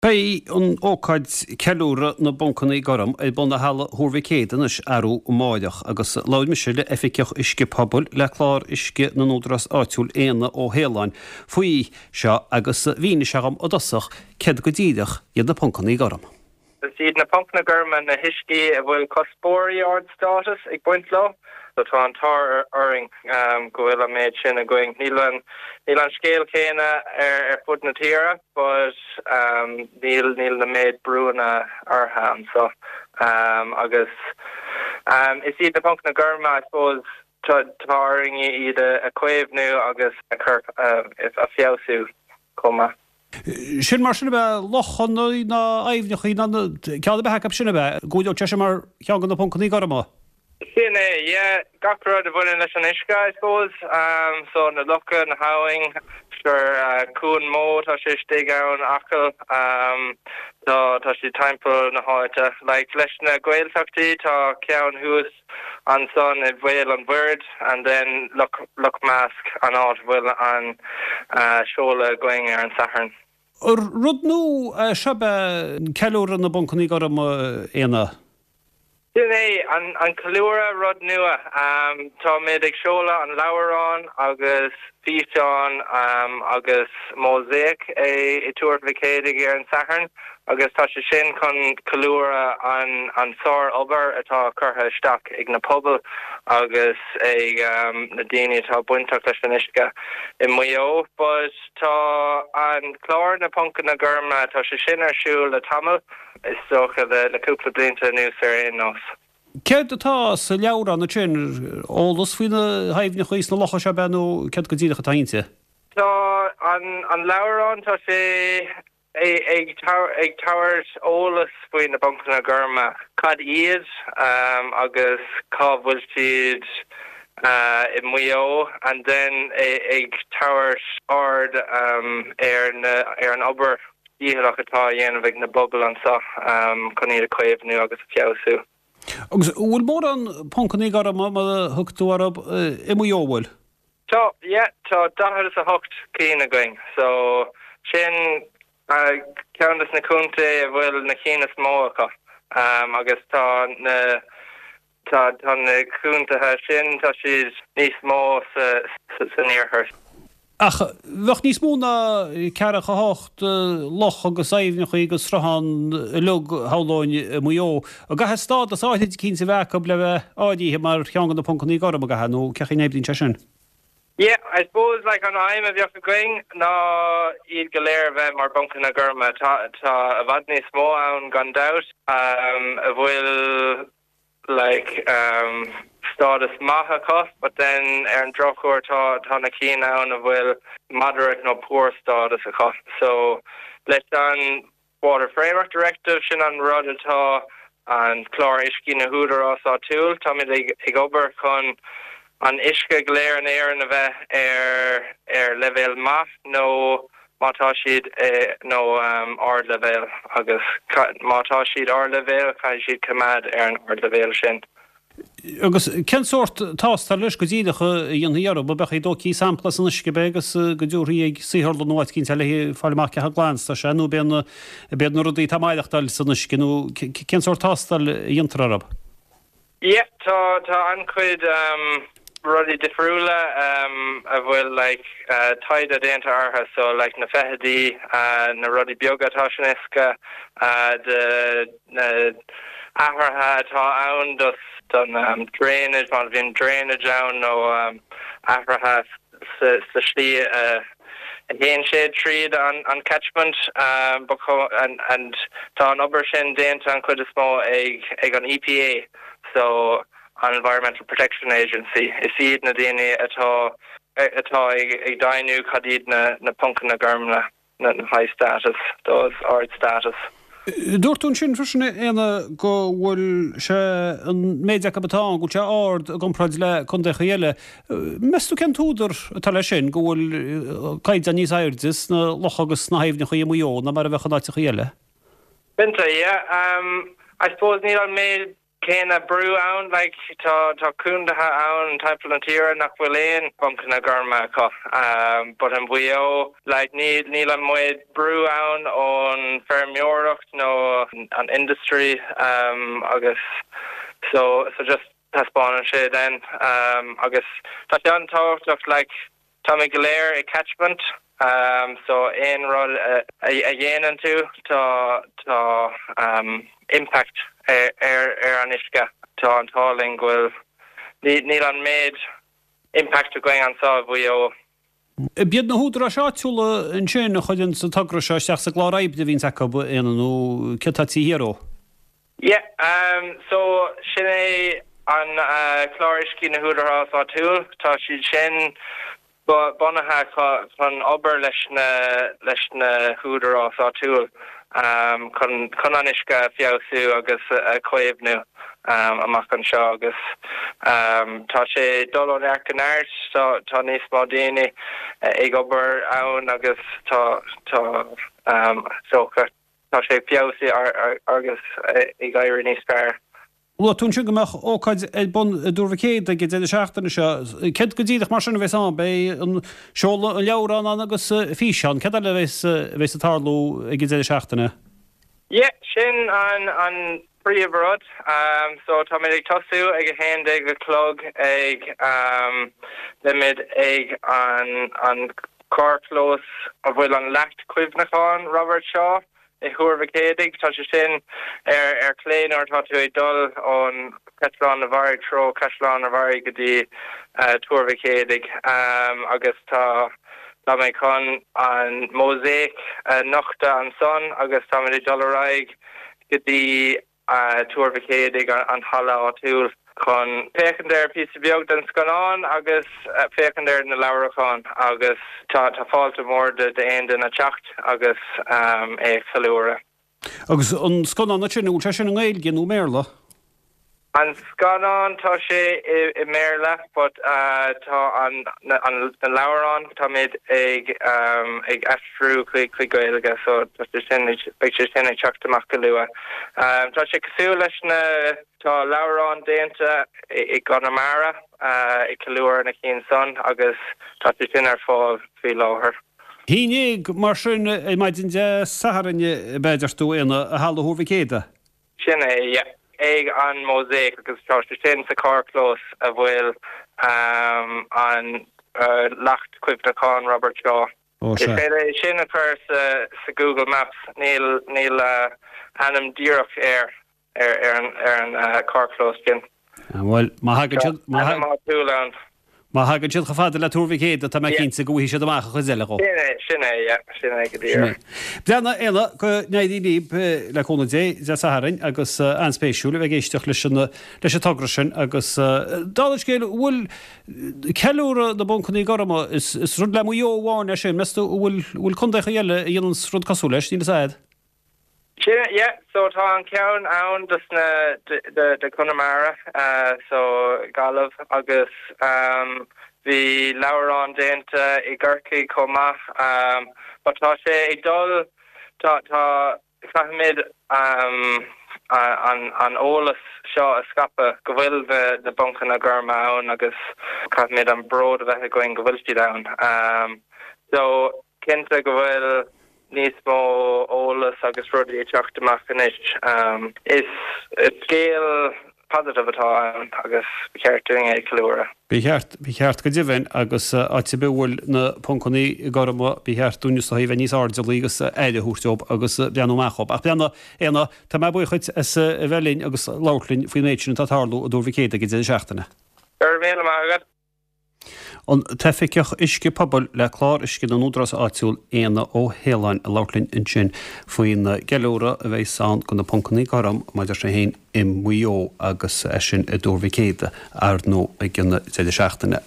Beidh an ócáid Ceiliúradh na bPoncanna Gorm ar bun i Halla Thuar Mhic Éadaigh anois arú amáireach agus labhair mise le Oifigeach Uisce Pobail le Clár Uisce na nÚdarás Áitiúil Éanna Ó hAoláin faoi seo agus mhínigh sé dhom i dtosach céard go díreach iad na Poncanna Gorm. Is iad na Poncanna Gorma na huiscí a bhfuil cuspóirí ard-státais ag baint leo. So tá an t-ádh orainn go bhfuil an méid sin againn. Níl an níl an scéal céanna ar fud na tíre but níl níl na méid brúanna orthu anseo. Agus is iad na Poncanna Gorma I suppose tá tá orainn iad a chaomhnú agus a chur a feabhsú chomh maith. Sin mar sin ab ea lochanna ná aibhneacha ná ceann ar bith acu sin ab ea? Go bhfuil sé sin mar cheann de na poncanna gorma? Sin é, yeah. Gach rud a bhaineann leis an uisce, I suppose. So na locha, na habhainn, sure, Cuan Mó, tá sé istigh ann, Acaill, tá, tá siad timpeall na háite. Like, leis na Gaeltachtaí, tá ceann thuas ansan i Bhéal an Mhuirthead and then Loch, Loch Measc, an áit a bhfuil an seoladh againn ar an Satharn. Rud nua é seo ab ea ceiliúradh na bPoncanna Gorma, Éanna? Sin é, an ceiliúradh, rud nua. Táimid ag seoladh an leabhrán agus físeán agus mósáic i Tuar Mhic Éadaigh ar an Satharn agus tá sé sin chun ceiliúradh an sár-obair atá curtha isteach ag na pobail agus ag na daoine atá bainteach leis an uisce i Maigh Eo. But tá an clár na Poncanna Gorma, tá sé sin ar siúl le tamall. Is dócha le cúpla blianta anuas ar aon nós. Céard atá sa leabhrán ansin? Eolas faoi na haibhneacha is na locha seo ab ea nó céard go díreach atá inti? Tá an leabhrán, tá sé ag tabhairt eolas faoi na bPoncanna Gorma, cad iad agus cá bhfuil siad i Maigh Eo and then ag tabhairt aird ar ar an obair dhícheallach atá á dhéanamh ag na pobail anseo chun iad a chaomhnú agus a feabhsú. Agus an bhfuil mórán poncanna gorma, mar a thug tú orthu, i Maigh Eo, an bhfuil? Tá, yeah, tá 48 cinn againn, so sin ceann des na contae a bhfuil na cinn is mó acu agus tá na Tá na contaetha sin, tá siad níos mó san iarthar. Ach bheadh níos mó ná ceathracha hocht loch agus aibhneacha agus sruthán uilig, shamhlóinn, i Maigh Eo. An gcaithfidh stádas áithrid eicínt a bheith acu le bheith áirithe mar cheann de na poncanna gorma, an gcaithfidh, nó cén chaoi a n-oibríonn sé sin? Yeah, I suppose like an aidhm a bheadh againn ná iad go léir a bheith mar bponcanna gorma. Tá tá i bhfad níos mó ann gan dabht a bhfuil like stádas maith acu but then ar an drochuair tá tá na cinn ann a bhfuil moderate nó poor stádas acu. So leis an Water Framework Directive, sin an rud atá an clár uiscí na húdarás áitiúil, táimid ag ag obair chun an uisce go léir in Éirinn a bheith ar ar leibhéal maith nó má tá siad nó ardleibhéal agus má tá siad ardleibhéal caithfidh siad coimeád ar an ardleibhéal sin. Agus cén sórt tástáil anois go díreach a dhéanfaí orthu? An mbeadh dóichí sampla as an uisce ab ea agus go dtabharfaí ag saotharlann nó áit eicínt eile le fáil amach cé chomh glan is atá sé nó ab iad na rudaí atá ag maireachtáil san uisce nó cén sórt tástáil a dhéantar orthu? Yeah, tá tá an-chuid rudaí difriúla a bhfuil like taighde déanta orthu so like na feithidí, na rudaí beaga atá san uisce, de na athruithe atá ann dos don drainage, má bhíonn drainage ann nó athruithe sa slí a a théann sé tríd an catchment and tá an obair sin déanta an chuid is mó ag ag an EPA so an Environmental Protection Agency. Is iad na daoine atá atá ag ag deimhniú cad iad na na poncanna gorma, na high status, those ard status. Dúirt tú ansin freisin, a Éanna, go bhfuil sé, an méid acu atá ann, go bhfuil sé ard i gcomparáid le contaechaí eile. Meas tú cén t-údar atá leis sin, go bhfuil caighdeán níos airde sna locha agus sna haibhneacha i Maigh Eo ná mar a bheadh in áiteachaí eile? Cinnte, yeah. I suppose níl an méid. céanna brú ann, like tá tá contaetha ann timpeall na tíre nach bhfuil aon phoncanna gorma acu but in Mhaigh Eo like níl níl an méid brú ann ón feirmeoireacht nó an industry agus so so just taispeánann sé then agus tá sé an-tábhachtach like Táimid go léir i catchment so aon rud a dhéanann tú tá tá impact ar ar an uisce. Tá an t-ádh linn go bhfuil níl an méid impact againn anseo i Mhaigh Eo. B'iad na húdaráis áitiúla ansin a chuireann an togra seo isteach sa gclár oibre a bhíonns acu, Éanna, nó céard atá taobh thiar dhó? Yeah, so sin é an clár uiscí na hÚdarás Áitiúil. Tá siad sin bunaithe chun obair leis na leis na hÚdarás Áitiúil chun chun an uisce a feabhsú agus a chaomhnú amach anseo agus tá sé ag dul ó neart go neart. Tá tá níos mó daoine ag obair ann agus tá tá so Tá sé ag feabhsú agus ag éirí níos fearr. Luaigh tú ansin go mbeadh ócáid ar bun i dTuar Mhic Éadaigh ag an deireadh seachtaine seo. Céard go díreach mar sin a bheas ann? Beidh an seoladh an leabhrán ann agus físeán. Céard eile a bheas a bheas ag tarlú ag an deireadh seachtaine? Yeah, sin an an príomh rud. So táimid ag tosú ag 11 a chlog ag beimid ag an an carrchlós a bhfuil an leacht cuimhneacháin Robert Shaw i Thuar Mhic Éadaigh. Tá sé sin ar ar chlé nuair atá tú ag dul ón Caisleán an Bharraigh treo Caisleán an Bharraigh go dtí Tuar Mhic Éadaigh agus tá tá mé chun an mosaic a nochtadh ansan agus táimid ag dul ar aghaidh go dtí Tuar Mhic Éadaigh, an halla áitiúil, chun féachaint ar píosa beag den scannán agus féachaint ar na leabhracháin agus tá fáilte mhór d'aon duine teacht agus é a cheiliúradh. Agus an scannán ansin, an bhfuil sé sin i nGaeilge nó i mBéarla? An scannán, tá sé i mBéarla but tá an na leabhráin, táimid ag ag aistriú chuig chuig Gaeilge so tá sé sin beidh sé sin ag teacht amach go luath. Tá sé cosúil leis na tá leabhráin déanta i gConamara ag ceiliúradh na cinn san agus tá sé sin ar fáil faoi láthair. 11 mar sin ar maidin Dé Sathairn, ab ea, a deir tú, Éanna, i Halla Thuar Mhic Éadaigh. Sin é, yeah. Ag an Mosaic agus tá sé sin sa carrchlós a bhfuil an leacht cuimhneacháin Robert Shaw. Ó, sea. Is féidir é sin a chur sa Google Maps, níl níl ainm díreach air ar an ar an carrchlós sin. Bhuel, má thagann siad, má Ainm áitiúil ann. Má thagann siad chomh fada le Tuar Mhic Éadaigh, tá mé cinnte go bhfaighidh siad amach an chuid eile dhó. Sin é, sin é, yeah, sin é go díreach. Breathnaigh, a Éanna, go n-éirí libh le cúnamh Dé, Dé Sathairn, agus an-spéisiúil a bheith ag éisteacht leis an, leis an togra sin agus, dála an scéil, an bhfuil ceiliúradh na bPoncanna Gorma, is, is rud le Maigh Eo amháin é sin, meas tú, an bhfuil, an bhfuil contaechaí eile a dhéananns rud cosúil leis, níl fhios a'd? Sin é, yeah, so tá an ceann ann dos na, de, de Conamara, so Gaillimh agus bhí leabhrán déanta i gCorcaigh chomh maith but tá sé ag dul, tá, tá, caithfimid an, an eolas seo a scaipeadh go bhfuil na, na poncanna gorma ann agus caithfimid an bród a bheith againn go bhfuil siad ann. So cinnte go bhfuil níos mó eolas agus rudaí ag teacht amach anois. Is scéal positive atá ann agus ba cheart dúinn é a cheiliúradh. Ba cheart, ba cheart go deimhin agus áit ar bith a bhfuil na poncanna gorma ba cheart dúinn is dóigh a bheith níos airdeallaí agus aire a thabhairt dóibh agus breathnú amach dhóibh. Ach breathnaigh, Éanna, tá mé buíoch dhuit as a bheith linn agus labhairt linn faoin méid sin atá ag tarlú i dTuar Mhic Éadaigh ag an deireadh seachtaine. Go raibh míle maith agat. An tOifigeach Uisce Pobail le Clár Uisce na nÚdarás Áitiúil, Éanna Ó hAoláin, ag labhairt linn ansin faoin gceiliúradh a bheas ann do na Poncanna Gorm maidir sé féin i Maigh Eo agus é sin i dTuar Mhic Éadaigh, ar ndóigh, ag an deireadh seachtaine.